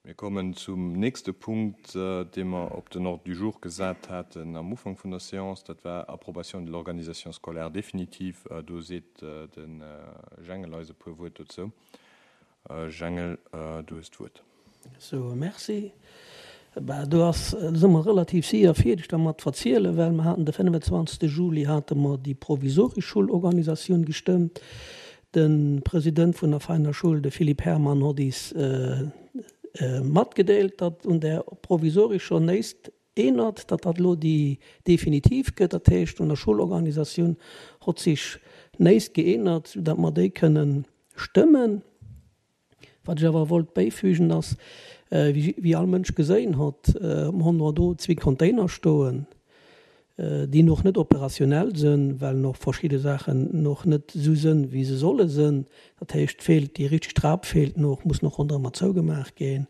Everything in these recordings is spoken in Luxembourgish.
Mir kommen zum nächste Punkt, dee mer op den Ordre du jour gesat haten am Ufank vun der Séance. Dat war Approbation de l'organisation scolaire définitive. Do seet de Jengel eis e puer Wuert dozou. Jengel, du hues d'Wuert. Sou, merci. Bah, do ass, do si mer relativ séier fierdeg dermat verzielen, well mer haten de 25. Juli hate mer déi provisoresch Schoulorganisatioun gestëmmt. De President vun der Veiner Schoul, de Philippe Herrmann, hott is matgedeelt, datt un där provisorescher néist eenert, datt dat elo déi definitiv gëtt. Dat heescht, un der Schoulorganisatioun hott sich néist geenert, soudatt mer déi kënnen stëmmen. Wat ech awer wollt bäifügen ass, wéi all Mënsch geséin hott, hon mer do zwee Container stoen, déi noch net operationell sënn, well noch verschidde Saachen noch net esou sënn, wéi se solle sënn. Dat heescht, feelt déi richteg Trap feelt noch, muss noch ronderëmmer zougemaach ginn.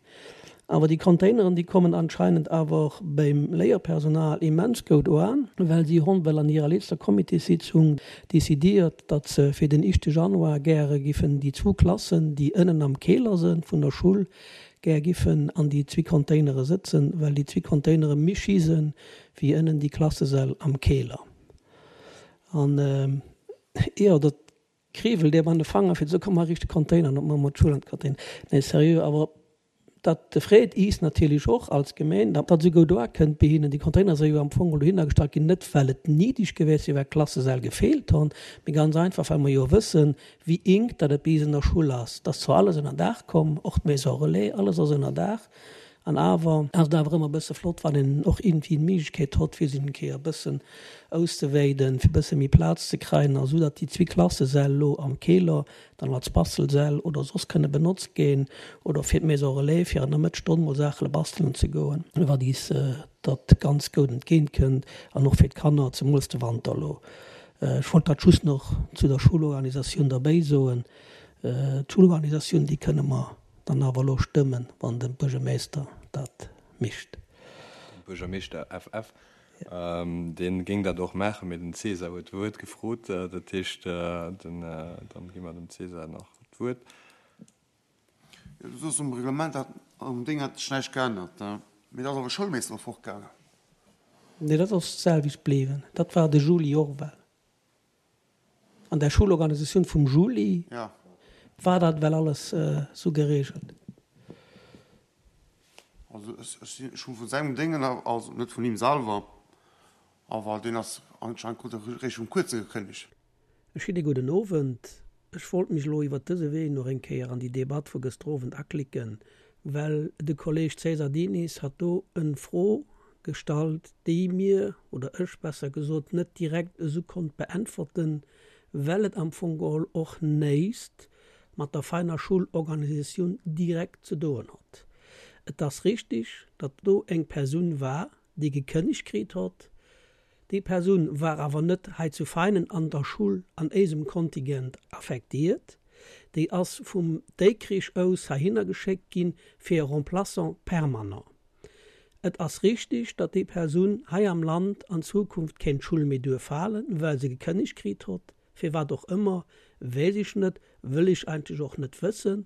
Awer déi Containeren, déi kommen anscheinend awer beim Léierpersonal immens goud oan, well si hon well an hirer letzter Comitéssitzung décidiert, datt se fir den ischte Januar gäre giffen déi zwou Klassen, déi ënnen am Keler sënn vun der Schull, gär giffen an déi zwee Containere sëtzen, well déi zwee Containere méi schi sënn wéi ënnen déi Klassesäll am Keler. An, jo, dat kriwwelt dir an de Fanger fir ze soen, komm mar riicht de Container an op mar mat d'Schull an d'Container. Nee, seriö, awer dat freet iis natierlech och als Gemeen, datt dat esou goud uakënnt bei hinnen. Déi Container si jo am Fong dohinner gestallt ginn, net well et niddeg gewiescht wier, well d'Klassesäll gefeelt hunn, mee ganz einfach well mer jo wëssen, wéi enk datt et bei iis an der Schull ass. Et ass zwar alles ënner Daach komm, och d'Maison relais, alles ass ënner Daach, An awer ass et awer ëmmer e bësse flott, wann een och iergendwéi d'Méiglechkeet hott, fir sech eng Kéier e bëssen auszewéiden, fir e bësse méi Plaz ze kréien, a sou datt déi zwee Klassesäll elo am Keler dann als Bastelsäll oder soss kënne benotzt ginn oder fir d'Maison relais, fir an der Mëttsstonn mol Saache bastelen ze goen, wat is dat ganz goud entgéint kënnt an och fir d'Kanner, zemools de Wanter elo. Ech wollt dat just nach zu der Schulorganisatioun derbéi soen. D'Schulorganisatioun, déi kënne mer Dann awer elo stëmmen, wann de Buergermeester dat micht. De Buergermeeschter FF, dee géing dat och maachen, mee den Cesar huet d'Wuert gefrot. Dat heescht, dann gi mer dem Cesar nach d'Wuert. Jo, du soos, um Reglement hat, um Ding hat sech näischt geännert, mee da ass awer e Schoulmeester fortgaangen. Nee, dat ass d'selwecht bliwwen. Dat war de Juli och ewell. An der Schulorganisatioun vum Juli war dat ewell alles sou geregelt. Also ech hu vu sengem Déngen, also net vun him selwer, awer deen ass anscheinend krut e réischt vum kuerze gekënnegt. E schéine gudden Owend. Ech wollt mech elo iwwert dëse Wee nach eng Kéier an déi Debatt vu gëschter Owend aklicken, well de Kolleg César Diniz hat do en Fro gestallt, déi mir, oder ech besser gesot, net direkt esou konnt beäntwerten, well et am Fong geholl och néist mat der feiner Schulorganisatioun direkt ze doen hott. Et ass richtig, datt do eng Persoun war, déi gekënnegt kritt hott. Déi Persoun war awer net hei zu Veinen an der Schull an éisem Kontingent affektiert. Déi ass vum Déikrich aus heihinner geschéckt gi fir e Remplaçant permanent. Et ass richtig, datt déi Persoun hei am Land an Zukunft kéint d'Schull méi duerf halen, well se gekënnegt kritt hott, firwat och ëmmer, weess ech net, wëll ech eigentlech och net wëssen,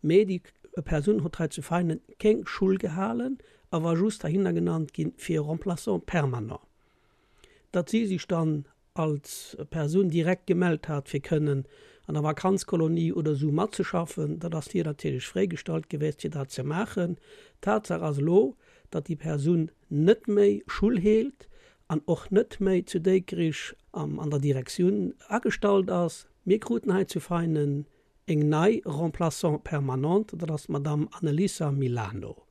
mee déi Persoun hott hei zu Veinen keng Schull gehalen a war just heihinner genannt ginn fir e Remplaçant permanent. Datt si sech dann als Persoun direkt gemellt hat fir kënnen an der Vakanzkolonie oder esou matzeschaffen, dat ass hir natierlech fréigestallt gewiescht fir dat ze maachen. Tatsaach ass elo, datt déi Persoun net méi Schull heelt an och net méi zu Déikrich an der Direktioun agestallt ass. Mir kruten hei zu Veinen eng nei Remplaçante permanente, dat ass d'Madame Annelisa Milano.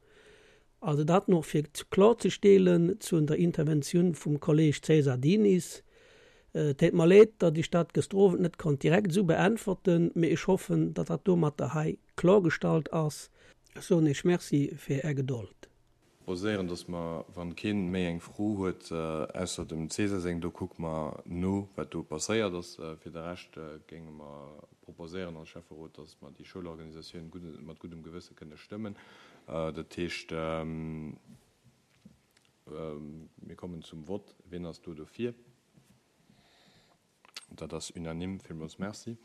Also dat nach fir klorzestelen zu der Interventioun vum Kolleg César Diniz. Et deet mer leed, datt ech dat gëschter Owend net konnt direkt esou beäntwerten, mee ech hoffen, datt dat domatter hei klorgestallt ass. Ech soen Iech Merci fir Är Gedold. Proposéieren, dass mer, wann keen méi eng Fro huet, ausser dem César seng, do kucke mer no, wat do passéiert ass. Fir de Rescht géinge mer proposéieren als Schäfferot, dass mer déi Schoulorganisatioun mat guddem Gewësse kënne stëmmen. Dat heescht, mir kommen zum Vott. Wien ass do dofir? Dat ass unanime. Villmools Merci.